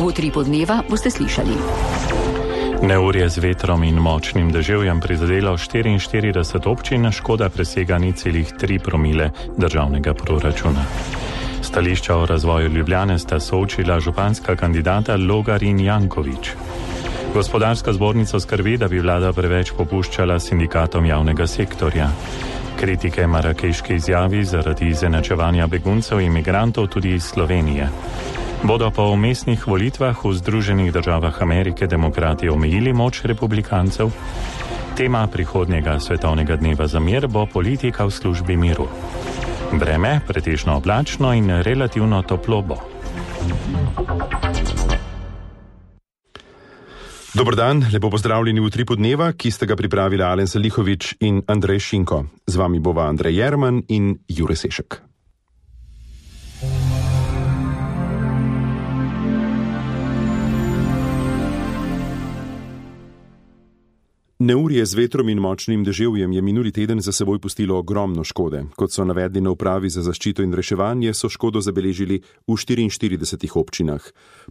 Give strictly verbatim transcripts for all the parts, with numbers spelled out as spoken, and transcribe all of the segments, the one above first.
V utripu dneva boste slišali. Neurje z vetrom in močnim deževjem prizadelo štiriinštirideset občin, škoda presega nič celih tri promile državnega proračuna. Stališča o razvoju Ljubljane sta soočila županska kandidata Logar in Janković. Gospodarska zbornica skrbi, da bi vlada preveč popuščala sindikatom javnega sektorja. Kritike marakeški izjavi zaradi izenačevanja beguncev in migrantov tudi iz Slovenije. Bodo po umestnih volitvah v Združenih državah Amerike demokrati omejili moč republikancev? Tema prihodnjega svetovnega dneva za mir bo politika v službi miru. Vreme pretežno oblačno in relativno toplo bo. Dober dan, lepo pozdravljeni v utripu dneva, ki ste ga pripravili Alen Salihović in Andrej Šinko. Z vami bova Andrej Jerman in Jure Sešek. Neurje z vetrom in močnim deževjem je minuli teden za seboj pustilo ogromno škode. Kot so navedli na upravi za zaščito in reševanje, so škodo zabeležili v štiriinštiridesetih občinah.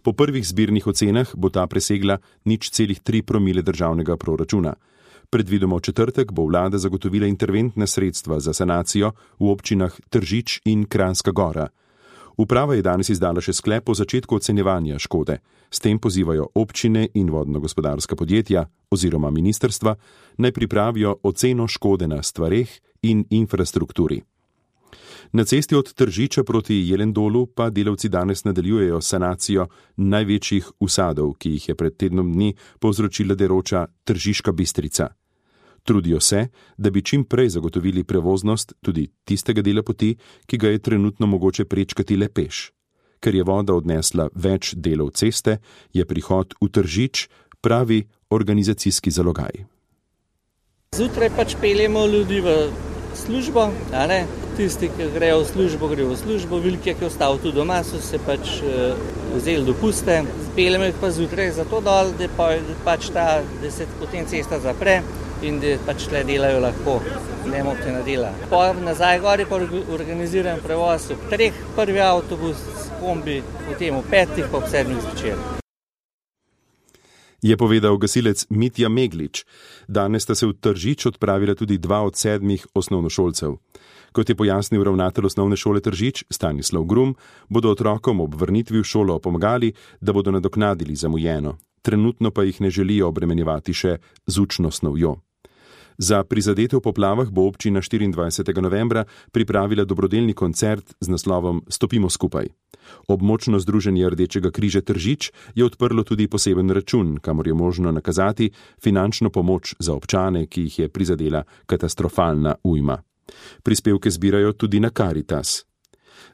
Po prvih zbirnih ocenah bo ta presegla nič celih tri promile državnega proračuna. Predvidoma v četrtek bo vlada zagotovila interventne sredstva za sanacijo v občinah Tržič in Kranjska Gora. Uprava je danes izdala še sklep o začetku ocenjevanja škode. S tem pozivajo občine in vodno-gospodarska podjetja oziroma ministrstva naj pripravijo oceno škode na stvareh in infrastrukturi. Na cesti od Tržiča proti Jelendolu pa delavci danes nadaljujejo sanacijo največjih usadov, ki jih je pred tednom dni povzročila deroča Tržiška Bistrica. Trudijo se, da bi čim prej zagotovili prevoznost tudi tistega dela poti, ki ga je trenutno mogoče prečkati le peš. Ker je voda odnesla več delov ceste, je prihod v Tržič pravi organizacijski zalogaj. Zjutraj pač peljemo ljudi v službo, a ne? Tisti, ki grejo v službo, grejo v službo, velike, ki ostav tu doma, so se pač uh, vzeli dopuste. Peljemo jih pa zjutraj zato dol, da, pa, da pač ta, da se potem cesta zapre in da pač tle delajo lahko, ne motena dela. Pa nazaj gori pa organiziran prevoz ob treh, prvi avtobus, kombi, potem ob petih, pa ob sedmih zvečer. Je povedal gasilec Mitja Meglič. Danes sta se v Tržič odpravila tudi dva od sedmih osnovnošolcev. Kot je pojasnil ravnatelj osnovne šole Tržič, Stanislav Grum, bodo otrokom ob vrnitvi v šolo pomagali, da bodo nadoknadili zamujeno. Trenutno pa jih ne želijo obremenjevati še z učno snovjo. Za prizadete v poplavah bo občina štiriindvajsetega novembra pripravila dobrodelni koncert z naslovom Stopimo skupaj. Območno združenje Rdečega križa Tržič je odprlo tudi poseben račun, kamor je možno nakazati finančno pomoč za občane, ki jih je prizadela katastrofalna ujma. Prispevke zbirajo tudi na Karitas.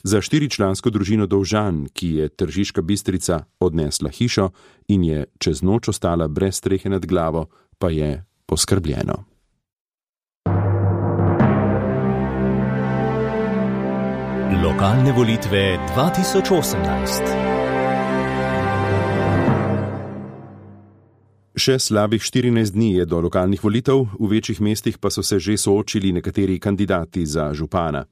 Za štiričlansko družino Dovžan, ki je Tržiška Bistrica odnesla hišo in je čez noč ostala brez strehe nad glavo, pa je poskrbljeno. Lokalne volitve dva tisoč osemnajst. Še slabih štirinajst dni je do lokalnih volitev, v večjih mestih pa so se že soočili nekateri kandidati za župana.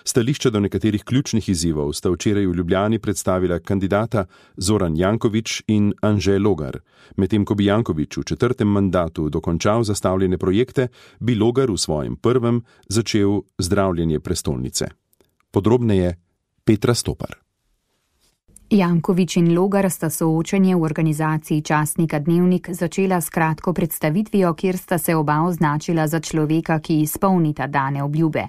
Stališča do nekaterih ključnih izzivov sta včeraj v Ljubljani predstavila kandidata Zoran Janković in Anže Logar. Medtem ko bi Janković v četrtem mandatu dokončal zastavljene projekte, bi Logar v svojem prvem začel zdravljenje prestolnice. Podrobneje Petra Stopar. Janković in Logar sta soočenje v organizaciji časnika Dnevnik začela s kratko predstavitvijo, kjer sta se oba označila za človeka, ki izpolnita dane obljube.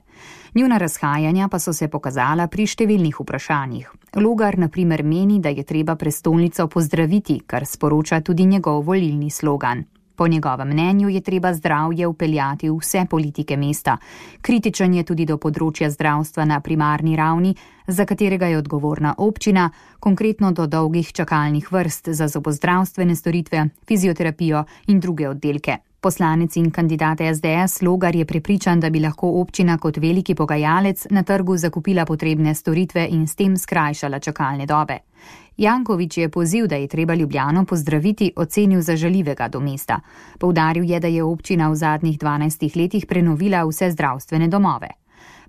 Njuna razhajanja pa so se pokazala pri številnih vprašanjih. Logar na primer meni, da je treba prestolnico pozdraviti, kar sporoča tudi njegov volilni slogan. Po njegovem mnenju je treba zdravje vpeljati v vse politike mesta. Kritičen je tudi do področja zdravstva na primarni ravni, za katerega je odgovorna občina, konkretno do dolgih čakalnih vrst za zobozdravstvene storitve, fizioterapijo in druge oddelke. Poslanec in kandidat es de es Logar je prepričan, da bi lahko občina kot veliki pogajalec na trgu zakupila potrebne storitve in s tem skrajšala čakalne dobe. Janković je poziv, da je treba Ljubljano pozdraviti, ocenil za žaljivega do mesta. Poudaril je, da je občina v zadnjih dvanajstih letih prenovila vse zdravstvene domove.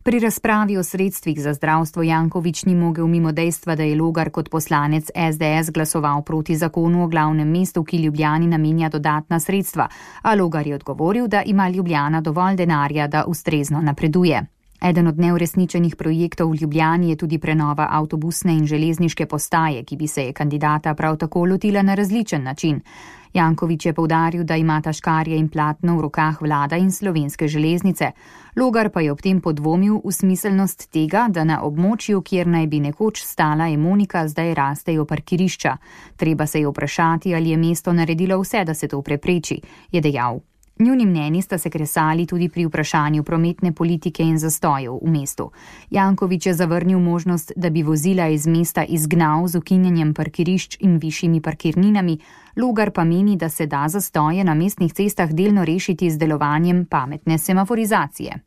Pri razpravi o sredstvih za zdravstvo Janković ni mogel mimo dejstva, da je Logar kot poslanec es de es glasoval proti zakonu o glavnem mestu, ki Ljubljani namenja dodatna sredstva, a Logar je odgovoril, da ima Ljubljana dovolj denarja, da ustrezno napreduje. Eden od neuresničenih projektov v Ljubljani je tudi prenova avtobusne in železniške postaje, ki bi se je kandidata prav tako lotila na različen način. Janković je poudaril, da imata škarje in platno v rokah vlada in Slovenske železnice. Logar pa je ob tem podvomil v smiselnost tega, da na območju, kjer naj bi nekoč stala Emonika, zdaj rastejo parkirišča. Treba se je vprašati, ali je mesto naredilo vse, da se to prepreči, je dejal. Njuni mnenji sta se kresali tudi pri vprašanju prometne politike in zastojev v mestu. Janković je zavrnil možnost, da bi vozila iz mesta izgnal z ukinjanjem parkirišč in višjimi parkirninami, Logar pa meni, da se da zastoje na mestnih cestah delno rešiti z delovanjem pametne semaforizacije.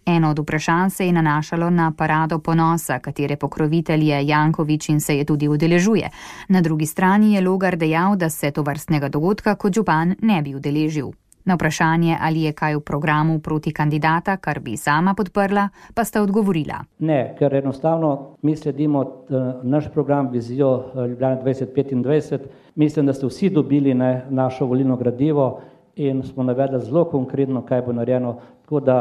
Eno od vprašanj se je nanašalo na parado ponosa, katere pokrovitelj je Janković in se je tudi udeležuje. Na drugi strani je Logar dejal, da se tovrstnega dogodka kot župan ne bi udeležil. Na vprašanje, ali je kaj v programu proti kandidata, kar bi sama podprla, pa sta odgovorila. Ne, ker enostavno mi sledimo naš program Vizijo Ljubljana dvajset petindvajset. Mislim, da ste vsi dobili ne, našo volilno gradivo in smo navedli zelo konkretno, kaj bo narejeno. Tako da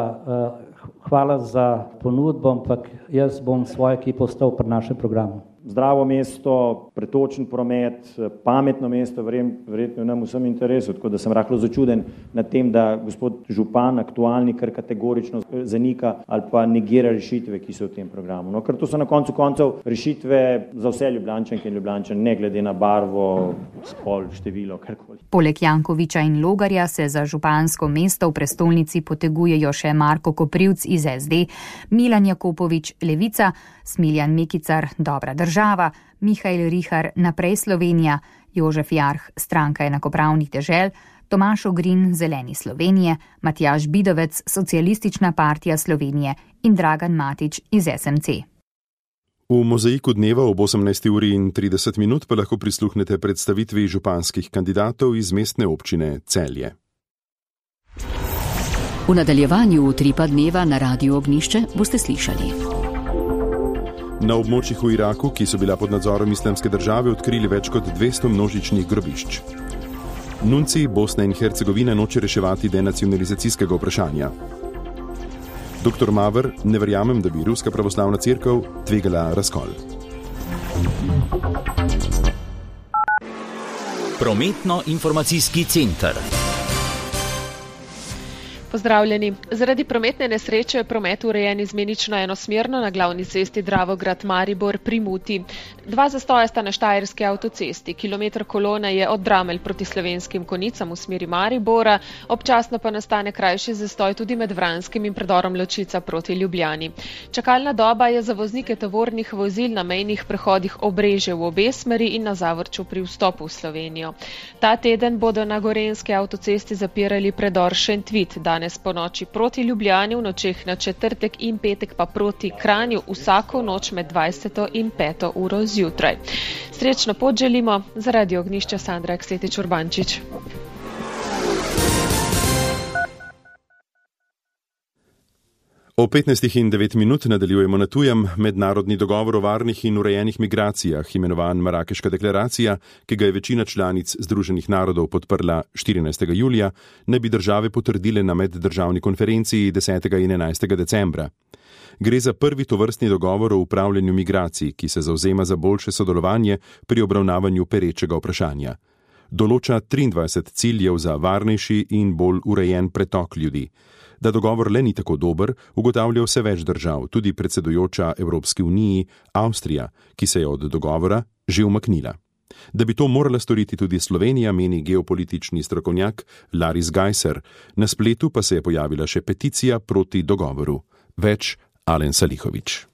hvala za ponudbo, ampak jaz bom svojo ekipo ostal pri našem programu. Zdravo mesto, pretočen promet, pametno mesto, verjetno nam vsem interesu, tako da sem rahlo začuden nad tem, da gospod župan aktualni kar kategorično zanika ali pa negira rešitve, ki so v tem programu. No, ker to so na koncu koncev rešitve za vse Ljubljančanke in Ljubljančane, ne glede na barvo, spol, število, karkoli. Poleg Jankovića in Logarja se za župansko mesto v prestolnici potegujejo še Marko Koprivc iz es de, Milan Jakopovič Levica, Smiljan Mekicar Dobra država, Mihael Rihar Naprej Slovenija, Jožef Jarh Stranka enakopravnih dežel, Tomaž Ogrin Zeleni Slovenije, Matjaž Bidovec Socialistična partija Slovenije in Dragan Matić iz es em ce. V mozaiku dneva ob osemnajsti uri in trideset minut pa lahko prisluhnete predstavitvi županskih kandidatov iz mestne občine Celje. V nadaljevanju utripa dneva na Radiu Ognjišče boste slišali. Na območjih v Iraku, ki so bila pod nadzorom Islamske države, odkrili več kot dvesto množičnih grobišč. Nunci Bosne in Hercegovine noče reševati denacionalizacijskega vprašanja. Doktor Maver, ne verjamem, da bi Ruska pravoslavna cerkev tvegala razkol. Prometno-informacijski center. Pozdravljeni. Zaradi prometne nesreče je promet urejen izmenično enosmerno na glavni cesti Dravograd-Maribor pri Muti. Dva zastoja sta na Štajerski avtocesti. Kilometr kolone je od Dramelj proti Slovenskim Konicam v smeri Maribora, občasno pa nastane krajši zastoj tudi med Vranskim in predorom Ločica proti Ljubljani. Čakalna doba je za voznike tovornih vozil na mejnih prehodih Obrežje v obe smeri in na Zavrču pri vstopu v Slovenijo. Ta teden bodo na Gorenjski avtocesti zapirali predor Šentvit, danes po noči proti Ljubljani, v nočeh na četrtek in petek pa proti Kranju vsako noč med dvajseto in peto uro zjutraj. Srečno pot želimo, zaradi Ognjišča Sandra Aksetič Urbančič. O petnajstih in devet minut nadaljujemo na tujem. Mednarodni dogovor o varnih in urejenih migracijah, imenovan Marakeška deklaracija, ki ga je večina članic Združenih narodov podprla štirinajstega julija, naj bi države potrdile na meddržavni konferenciji desetega in enajstega decembra. Gre za prvi tovrstni dogovor o upravljanju migracij, ki se zavzema za boljše sodelovanje pri obravnavanju perečega vprašanja. Določa triindvajset ciljev za varnejši in bolj urejen pretok ljudi. Da dogovor le ni tako dober, ugotavlja vse več držav, tudi predsedujoča Evropski uniji Avstrija, ki se je od dogovora že umaknila. Da bi to morala storiti tudi Slovenija, meni geopolitični strokovnjak Laris Gajser. Na spletu pa se je pojavila še peticija proti dogovoru. Več Alen Salihović.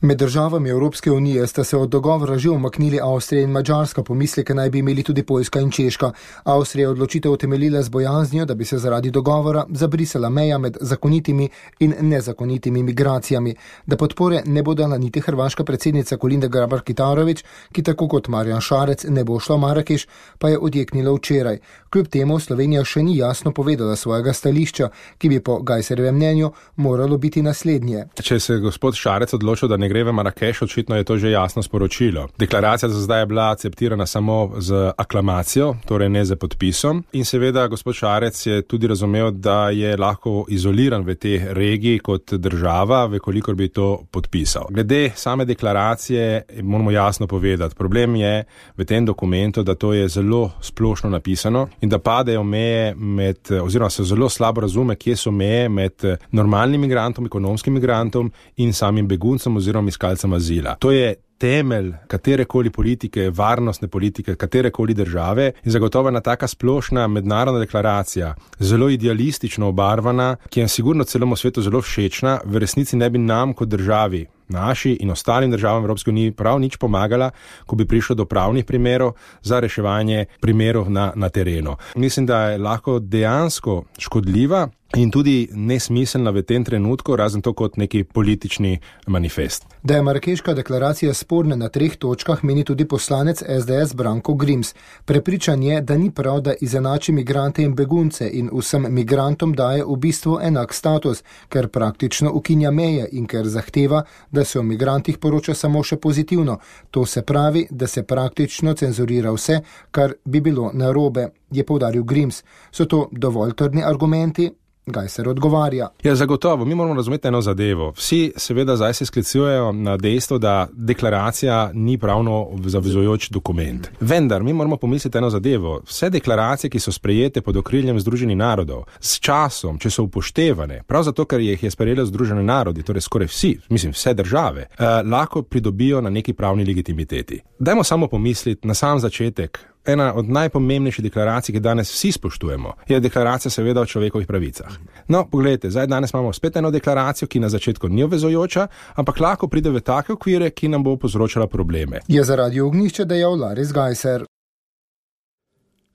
Med državami Evropske unije sta se od dogovora že umaknili Avstrija in Madžarska, pomisleke naj bi imeli tudi Poljska in Češka. Avstrija je odločitev utemeljila z bojaznijo, da bi se zaradi dogovora zabrisala meja med zakonitimi in nezakonitimi migracijami. Da podpore ne bo dala niti hrvaška predsednica Kolinda Grabar-Kitarović, ki tako kot Marjan Šarec ne bo šla v Marakeš, pa je odjeknila včeraj. Kljub temu Slovenija še ni jasno povedala svojega stališča, ki bi po Gajserjevem mnenju moralo biti naslednje. Če se gospod Šarec odločil, da ne gre v Marakeš, očitno je to že jasno sporočilo. Deklaracija za zdaj je bila akceptirana samo z aklamacijo, torej ne z podpisom. In seveda gospod Šarec je tudi razumel, da je lahko izoliran v tej regiji kot država, vekolikor bi to podpisal. Glede same deklaracije moramo jasno povedati. Problem je v tem dokumentu, da to je zelo splošno napisano in da padejo meje med, oziroma se zelo slabo razume, kje so meje med normalnim migrantom, ekonomskim migrantom in samim beguncem oziroma iskalcem azila. To je temelj katerekoli politike, varnostne politike, katerekoli države in zagotovo ena taka splošna mednarodna deklaracija, zelo idealistično obarvana, ki je sigurno celemu svetu zelo všečna, v resnici ne bi nam kot državi, naši in ostalim državam Evropske unije prav nič pomagala, ko bi prišlo do pravnih primerov za reševanje primerov na, na terenu. Mislim, da je lahko dejansko škodljiva in tudi nesmiselna v tem trenutku, razen to kot neki politični manifest. Da je Marakeška deklaracija sporna na treh točkah, meni tudi poslanec es de es Branko Grims. Prepričan je, da ni prav, da izenači migrante in begunce in vsem migrantom daje v bistvu enak status, ker praktično ukinja meje in ker zahteva, da se o migrantih poroča samo še pozitivno. To se pravi, da se praktično cenzurira vse, kar bi bilo narobe, je poudaril Grims. So to dovolj trdni argumenti? Gajser odgovarja. Ja, zagotovo. Mi moramo razumeti eno zadevo. Vsi seveda zdaj se sklicujejo na dejstvo, da deklaracija ni pravno zavezujoč dokument. Vendar, mi moramo pomisliti eno zadevo. Vse deklaracije, ki so sprejete pod okriljem Združenih narodov, s časom, če so upoštevane, prav zato, ker jih je sprejelo Združene narodi, torej skoraj vsi, mislim, vse države, eh, lahko pridobijo na neki pravni legitimiteti. Dajmo samo pomisliti na sam začetek. Ena od najpomembnejših deklaracij, ki danes vsi spoštujemo, je deklaracija seveda o človekovih pravicah. No, pogledajte, zdaj danes imamo spet eno deklaracijo, ki na začetku ni obvezujoča, ampak lahko pride v take okvire, ki nam bo povzročala probleme. Je zaradi ognjišča dejal Laris Gajser.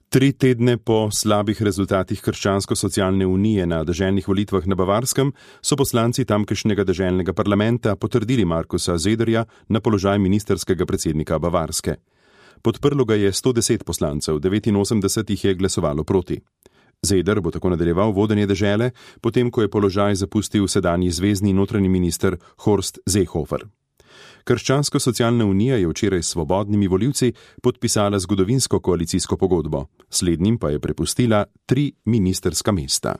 Tri tedne po slabih rezultatih Krščansko-socialne unije na deželnih volitvah na Bavarskem so poslanci tamkajšnjega deželnega parlamenta potrdili Markusa Zederja na položaj ministerskega predsednika Bavarske. Podprlo ga je sto deset poslancev, devetinosemdeset jih je glasovalo proti. Zeder bo tako nadaljeval vodenje dežele, potem ko je položaj zapustil sedanji zvezni notranji minister Horst Seehofer. Krščansko-socialna unija je včeraj s svobodnimi volivci podpisala zgodovinsko koalicijsko pogodbo, slednjim pa je prepustila tri ministerska mesta.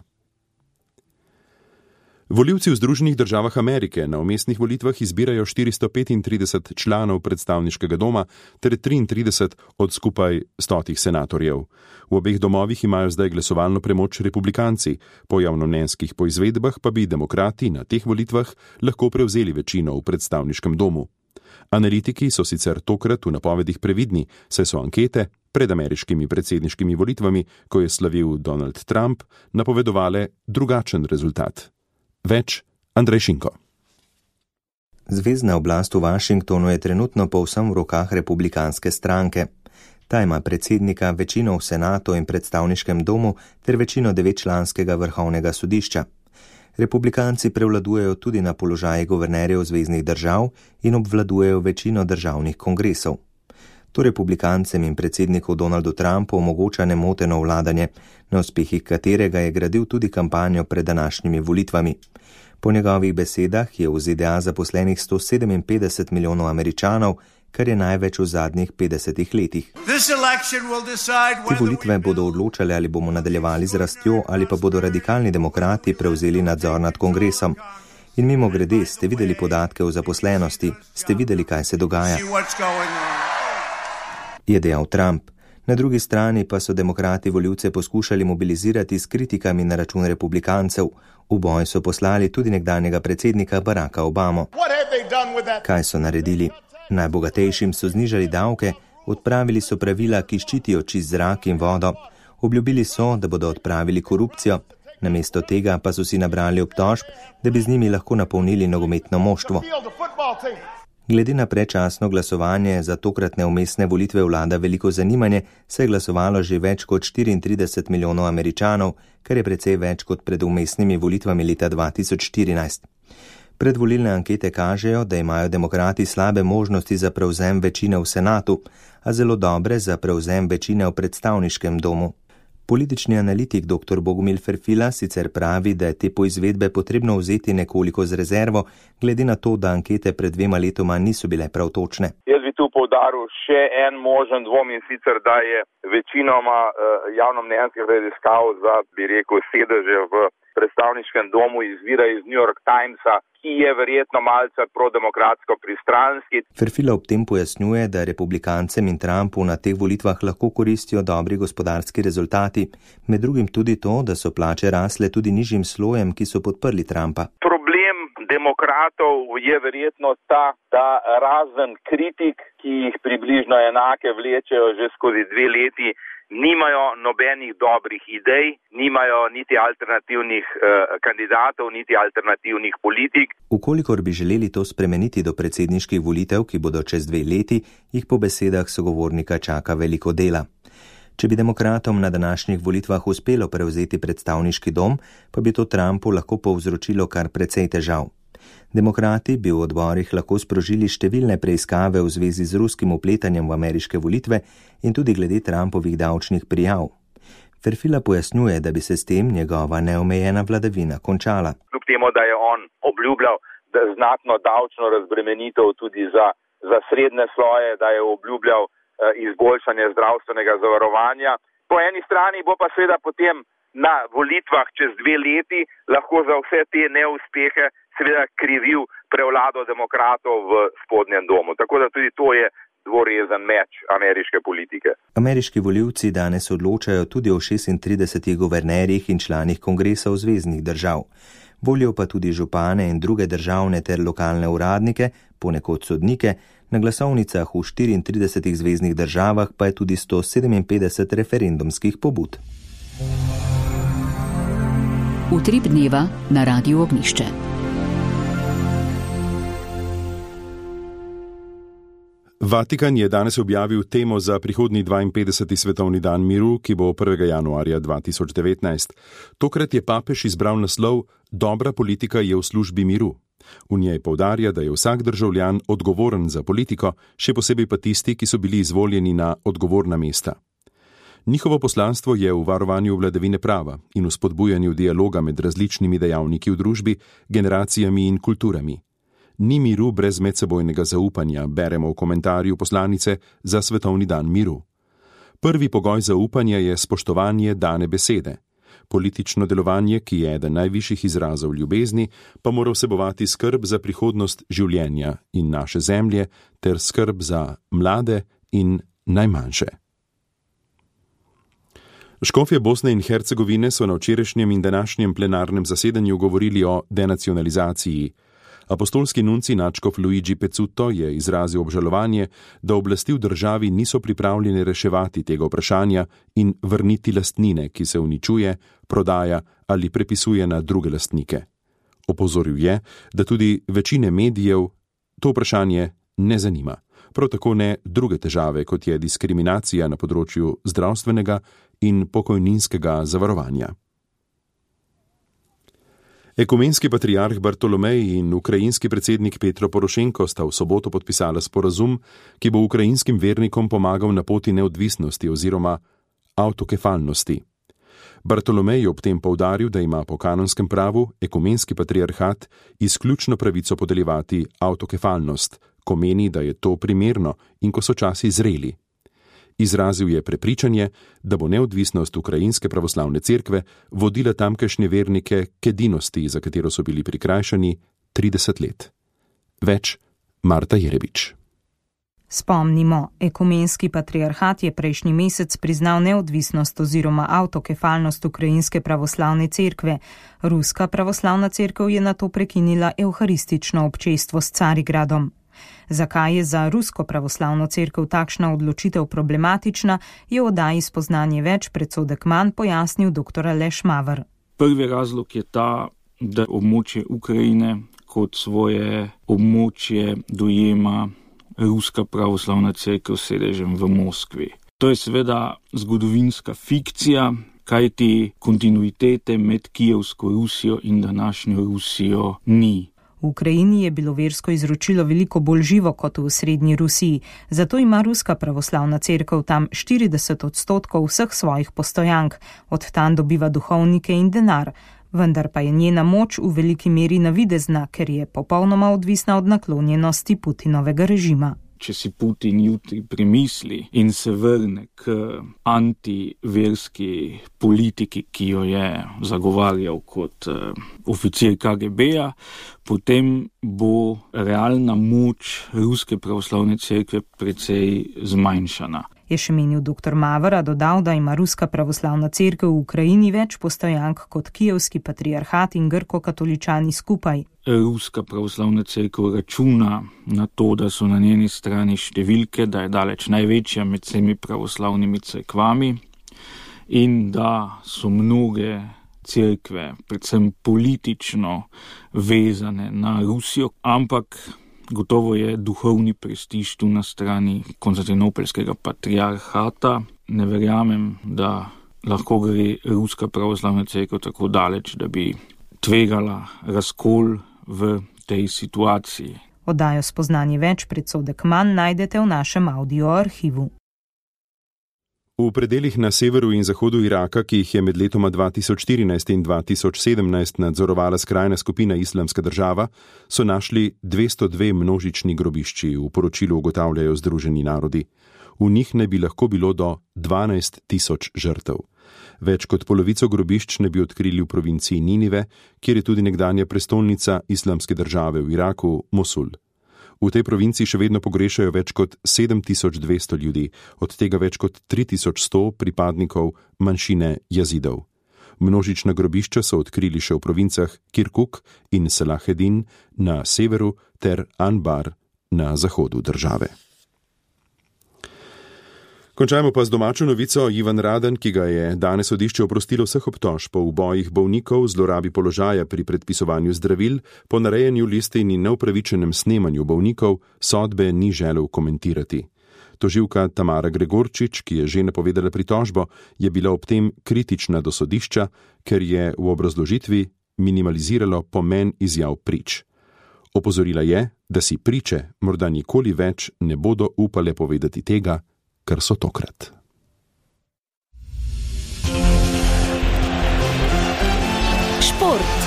Volivci v Združenih državah Amerike na vmesnih volitvah izbirajo štiristo petintrideset članov predstavniškega doma ter triintrideset od skupaj stotih senatorjev. V obeh domovih imajo zdaj glasovalno premoč republikanci, po javnomnenjskih poizvedbah pa bi demokrati na teh volitvah lahko prevzeli večino v predstavniškem domu. Analitiki so sicer tokrat v napovedih previdni, saj so ankete pred ameriškimi predsedniškimi volitvami, ko je slavil Donald Trump, napovedovale drugačen rezultat. Več Andrej Šinko. Zvezna oblast v Washingtonu je trenutno povsem v rokah republikanske stranke. Ta ima predsednika, večino v senatu in predstavniškem domu ter večino devetčlanskega vrhovnega sodišča. Republikanci prevladujejo tudi na položaji guvernerjev zveznih držav in obvladujejo večino državnih kongresov. To republikancem in predsedniku Donaldu Trumpu omogoča nemoteno vladanje, na uspehih katerega je gradil tudi kampanjo pred današnjimi volitvami. Po njegovih besedah je v Z D A zaposlenih sto sedeminpetdeset milijonov Američanov, kar je največ v zadnjih petdesetih letih. Te volitve bodo odločale, ali bomo nadaljevali z rastjo ali pa bodo radikalni demokrati prevzeli nadzor nad kongresom. In mimo grede, ste videli podatke o zaposlenosti, ste videli, kaj se dogaja. Je dejal Trump. Na drugi strani pa so demokrati volivce poskušali mobilizirati s kritikami na račun republikancev. V boj so poslali tudi nekdanjega predsednika Baracka Obamo. Kaj so naredili? Najbogatejšim so znižali davke, odpravili so pravila, ki ščitijo čist zrak in vodo. Obljubili so, da bodo odpravili korupcijo. Namesto tega pa so si nabrali obtožb, da bi z njimi lahko napolnili nogometno moštvo. Glede na predčasno glasovanje za tokratne umestne volitve vlada veliko zanimanje, se je glasovalo že več kot štiriintrideset milijonov Američanov, kar je precej več kot pred umestnimi volitvami leta dva tisoč štirinajst. Predvolilne ankete kažejo, da imajo demokrati slabe možnosti za prevzem večine v senatu, a zelo dobre za prevzem večine v predstavniškem domu. Politični analitik dr. Bogomil Ferfila sicer pravi, da je te poizvedbe potrebno vzeti nekoliko z rezervo, glede na to, da ankete pred dvema letoma niso bile prav točne. Jaz bi tu poudaril še en možen dvom, in sicer, da je večinoma javnomnenjskih raziskav za, bi rekel, sedeže v predstavniškem domu izvira iz New York Timesa, ki je verjetno malce prodemokratsko pristranski. Ferfila ob tem pojasnjuje, da republikancem in Trumpu na teh volitvah lahko koristijo dobri gospodarski rezultati, med drugim tudi to, da so plače rasle tudi nižjim slojem, ki so podprli Trumpa. Problem demokratov je verjetno ta, da razen kritik, ki jih približno enake vlečejo že skozi dve leti, nimajo nobenih dobrih idej, nimajo niti alternativnih eh, kandidatov, niti alternativnih politik. Ukolikor bi želeli to spremeniti do predsedniških volitev, ki bodo čez dve leti, jih po besedah sogovornika čaka veliko dela. Če bi demokratom na današnjih volitvah uspelo prevzeti predstavniški dom, pa bi to Trumpu lahko povzročilo kar precej težav. Demokrati bi v odborih lahko sprožili številne preiskave v zvezi z ruskim vpletanjem v ameriške volitve in tudi glede Trumpovih davčnih prijav. Ferfila pojasnjuje, da bi se s tem njegova neomejena vladavina končala. Kljub temu, da je on obljubljal, da znatno davčno razbremenitev tudi za, za srednje sloje, da je obljubljal eh, izboljšanje zdravstvenega zavarovanja. Po eni strani bo pa seveda potem na volitvah čez dve leti lahko za vse te neuspehe seveda krivil prevlado demokratov v spodnjem domu. Tako da tudi to je dvorezen meč ameriške politike. Ameriški volivci danes odločajo tudi o šestintridesetih guvernerjih in članih kongresov zveznih držav. Volijo pa tudi župane in druge državne ter lokalne uradnike, ponekod sodnike, na glasovnicah v štiriintridesetih zveznih državah pa je tudi sto sedeminpetdeset referendumskih pobud. Utrip dneva na Radiu Ognjišče. Vatikan je danes objavil temo za prihodnji dvainpetdeseti svetovni dan miru, ki bo prvega januarja dva tisoč devetnajst. Tokrat je papež izbral naslov Dobra politika je v službi miru. V njej poudarja, da je vsak državljan odgovoren za politiko, še posebej pa tisti, ki so bili izvoljeni na odgovorna mesta. Njihovo poslanstvo je v varovanju vladavine prava in v spodbujanju dialoga med različnimi dejavniki v družbi, generacijami in kulturami. Ni miru brez medsebojnega zaupanja, beremo v komentarju poslanice za svetovni dan miru. Prvi pogoj zaupanja je spoštovanje dane besede. Politično delovanje, ki je eden najvišjih izrazov ljubezni, pa mora vsebovati skrb za prihodnost življenja in naše zemlje ter skrb za mlade in najmanjše. Škofje Bosne in Hercegovine so na včerajšnjem in današnjem plenarnem zasedanju govorili o denacionalizaciji. Apostolski nunci nadškof Luigi Pezzuto je izrazil obžalovanje, da oblasti v državi niso pripravljene reševati tega vprašanja in vrniti lastnine, ki se uničuje, prodaja ali prepisuje na druge lastnike. Opozoril je, da tudi večine medijev to vprašanje ne zanima. Prav tako ne druge težave, kot je diskriminacija na področju zdravstvenega in pokojninskega zavarovanja. Ekumenski patriarh Bartolomej in ukrajinski predsednik Petro Porošenko sta v soboto podpisala sporazum, ki bo ukrajinskim vernikom pomagal na poti neodvisnosti oziroma avtokefalnosti. Bartolomej je ob tem poudaril, da ima po kanonskem pravu ekumenski patriarhat izključno pravico podeljevati avtokefalnost, ko meni, da je to primerno in ko so časi zreli. Izrazil je prepričanje, da bo neodvisnost ukrajinske pravoslavne cerkve vodila tamkajšnje vernike k edinosti, za katero so bili prikrajšani trideset let. Več Marta Jerebič. Spomnimo, ekumenski patriarhat je prejšnji mesec priznal neodvisnost oziroma avtokefalnost ukrajinske pravoslavne cerkve. Ruska pravoslavna cerkev je nato prekinila evharistično občestvo s Carigradom. Zakaj je za rusko pravoslavno cerkev takšna odločitev problematična, je v oddaji Spoznanje več predsodek manj pojasnil dr. Aleš Maver. Prvi razlog je ta, da območje Ukrajine kot svoje območje dojema Ruska pravoslavna cerkev s sedežem v Moskvi. To je seveda zgodovinska fikcija, kajti kontinuitete med Kijevsko Rusijo in današnjo Rusijo ni. V Ukrajini je bilo versko izročilo veliko bolj živo kot v srednji Rusiji, zato ima Ruska pravoslavna cerkev tam štirideset odstotkov vseh svojih postojank, od tam dobiva duhovnike in denar, vendar pa je njena moč v veliki meri navidezna, ker je popolnoma odvisna od naklonjenosti Putinovega režima. Če si Putin jutri premisli in se vrne k antiverski politiki, ki jo je zagovarjal kot uh, oficir K G B-ja, potem bo realna moč Ruske pravoslavne cerkve precej zmanjšana. Je še menil doktor Mavra, dodal, da ima Ruska pravoslavna cerkev v Ukrajini več postojank kot Kijevski patriarhat in grko-katoličani skupaj. Ruska pravoslavna cerkev računa na to, da so na njeni strani številke, da je daleč največja med vsemi pravoslavnimi cerkvami in da so mnoge cerkve, predvsem politično vezane na Rusijo, ampak gotovo je duhovni prestiž tu na strani konstantinopeljskega patriarhata. Ne verjamem, da lahko gre Ruska pravoslavna cerkev tako daleč, da bi tvegala razkol v tej situaciji. Oddajo Spoznanje več, predsodek manj najdete v našem audio arhivu. V predeljih na severu in zahodu Iraka, ki jih je med letoma dva tisoč štirinajst in dva tisoč sedemnajst nadzorovala skrajna skupina Islamska država, so našli dvesto dve množični grobišči, v poročilu ugotavljajo Združeni narodi. V njih ne bi lahko bilo do dvanajst tisoč žrtev. Več kot polovico grobišč ne bi odkrili v provinciji Ninive, kjer je tudi nekdanja prestolnica Islamske države v Iraku, Mosul. V tej provinciji še vedno pogrešajo več kot sedem tisoč dvesto ljudi, od tega več kot tri tisoč sto pripadnikov manjšine Jazidov. Množična grobišča so odkrili še v provincah Kirkuk in Salahedin na severu ter Anbar na zahodu države. Končajmo pa z domačo novico. Ivan Radan, ki ga je danes sodišče oprostilo vseh obtožb po ubojih bolnikov, zlorabi položaja pri predpisovanju zdravil, ponarejanju listin in neupravičenem snemanju bolnikov, sodbe ni želel komentirati. Tožilka Tamara Gregorčič, ki je že napovedala pritožbo, je bila ob tem kritična do sodišča, ker je v obrazložitvi minimaliziralo pomen izjav prič. Opozorila je, da si priče morda nikoli več ne bodo upale povedati tega, kar so tokrat. Šport.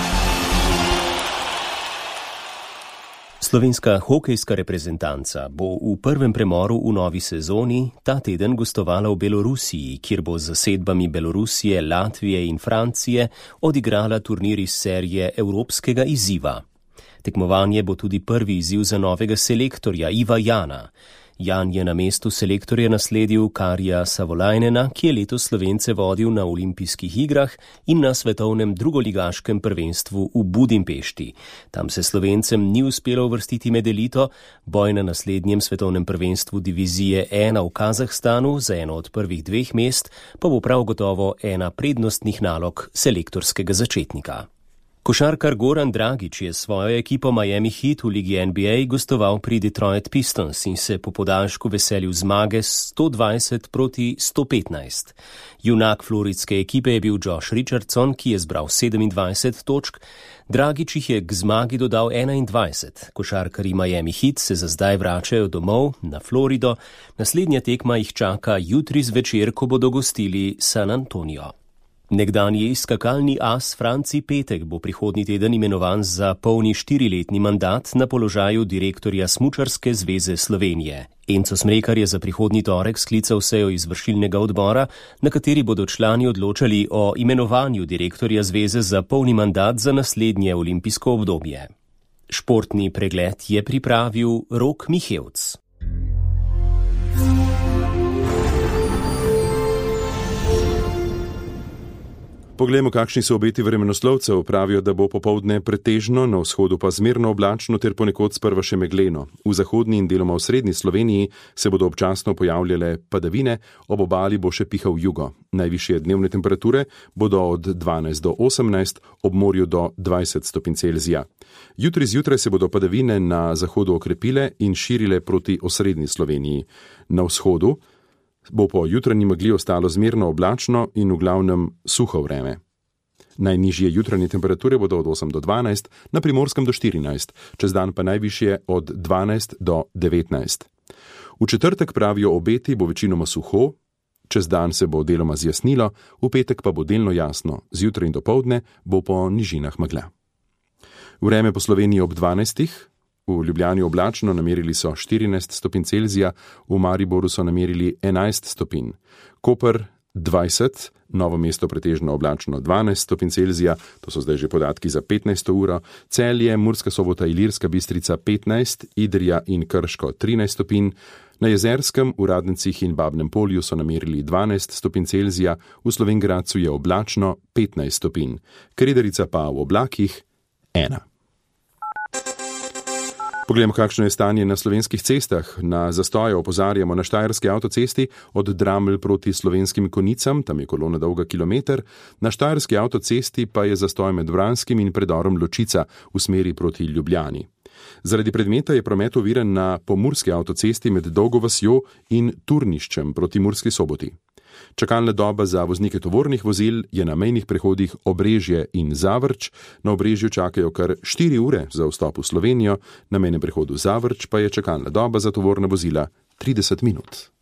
Slovenska hokejska reprezentanca bo v prvem premoru v novi sezoni ta teden gostovala v Belorusiji, kjer bo z zasedbami Belorusije, Latvije in Francije odigrala turnir iz serije Evropskega izziva. Tekmovanje bo tudi prvi izziv za novega selektorja Iva Jana. Jan je na mestu selektorja nasledil Karija Savolajnena, ki je letos Slovence vodil na olimpijskih igrah in na svetovnem drugoligaškem prvenstvu v Budimpešti. Tam se Slovencem ni uspelo uvrstiti med elito, boj na naslednjem svetovnem prvenstvu divizije ena v Kazahstanu za eno od prvih dveh mest pa bo prav gotovo ena prednostnih nalog selektorskega začetnika. Košarkar Goran Dragić je svojo ekipo Miami Heat v ligi N B A gostoval pri Detroit Pistons in se po podaljšku veselil zmage sto dvajset proti sto petnajst. Junak floridske ekipe je bil Josh Richardson, ki je zbral sedemindvajset točk, Dragić jih je k zmagi dodal enaindvajset. Košarkarji Miami Heat se za zdaj vračajo domov na Florido, naslednja tekma jih čaka jutri zvečer, ko bodo gostili San Antonio. Nekdanji skakalni as Franci Petek bo prihodnji teden imenovan za polni štiriletni mandat na položaju direktorja Smučarske zveze Slovenije. Enzo Smrekar je za prihodnji torek sklical sejo izvršilnega odbora, na kateri bodo člani odločali o imenovanju direktorja zveze za polni mandat za naslednje olimpijsko obdobje. Športni pregled je pripravil Rok Mihevc. Poglejmo, kakšni so obeti vremenoslovcev. Pravijo, da bo popoldne pretežno, na vzhodu pa zmerno oblačno ter ponekod sprva še megleno. V zahodni in deloma v srednji Sloveniji se bodo občasno pojavljale padavine, ob obali bo še pihal jugo. Najvišje dnevne temperature bodo od dvanajst do osemnajst, ob morju do dvajset stopinj Celzija. Jutri zjutraj se bodo padavine na zahodu okrepile in širile proti osrednji Sloveniji. Na vzhodu bo po jutranji megli ostalo zmerno oblačno in v glavnem suho vreme. Najnižje jutranje temperature bodo od osem do dvanajst, na Primorskem do štirinajst, čez dan pa najvišje od dvanajst do devetnajst. V četrtek, pravijo obeti, bo večinoma suho, čez dan se bo deloma zjasnilo, v petek pa bo delno jasno, zjutraj in dopoldne bo po nižinah megla. Vreme po Sloveniji ob dvanajstih. V Ljubljani oblačno, namerili so štirinajst stopinj Celzija, v Mariboru so namerili enajst stopinj. Koper dvajset, Novo mesto pretežno oblačno dvanajst stopinj Celzija, to so zdaj že podatki za petnajsto uro, Celje, Murska Sobota, Ilirska Bistrica petnajst, Idrija in Krško trinajst stopinj, na Jezerskem, v Radnicih in Babnem Polju so namerili dvanajst stopinj Celzija, v Slovenj Gradcu je oblačno petnajst stopinj, Krederica pa v oblakih ena. Poglejmo, kakšno je stanje na slovenskih cestah. Na zastoje opozarjamo na štajerski avtocesti od Dramelj proti Slovenskim Konicam, tam je kolona dolga kilometer, na štajerski avtocesti pa je zastoj med Vranskim in predorom Ločica v smeri proti Ljubljani. Zaradi predmeta je promet oviran na pomurski avtocesti med Dolgo vasjo in Turniščem proti Murski Soboti. Čakalna doba za voznike tovornih vozil je na mejnih prehodih Obrežje in Zavrč. Na Obrežju čakajo kar štiri ure za vstop v Slovenijo, na mejnem prehodu Zavrč pa je čakalna doba za tovorna vozila trideset minut.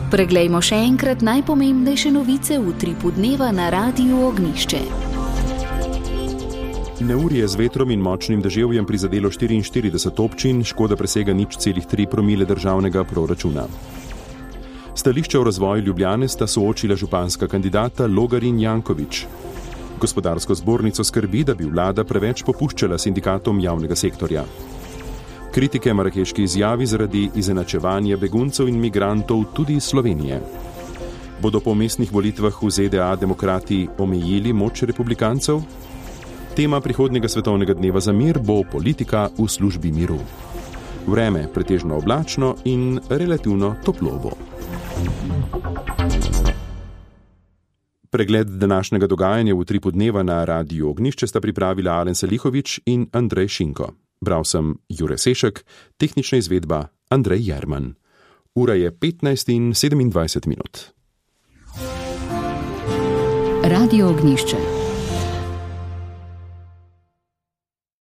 Preglejmo še enkrat najpomembnejše novice v utripu dneva na Radiu Ognjišče. Neurje z vetrom in močnim deževjem prizadelo štiriinštirideset občin, škoda presega nič celih tri promile državnega proračuna. Stališča o razvoju Ljubljane sta soočila županska kandidata Logar in Janković. Gospodarsko zbornico skrbi, da bi vlada preveč popuščala sindikatom javnega sektorja. Kritike marakeški izjavi zaradi izenačevanja beguncev in migrantov tudi iz Slovenije. Bodo po mestnih volitvah v Z D A demokrati omejili moč republikancev? Tema prihodnjega svetovnega dneva za mir bo politika v službi miru. Vreme pretežno oblačno in relativno toplo bo. Pregled današnjega dogajanja v utripu dneva na Radiu Ognjišče sta pripravila Alen Salihović in Andrej Šinko. Bral sem Jure Sešek, tehnična izvedba Andrej Jerman. Ura je petnajst in sedemindvajset minut. Radio Ognjišče.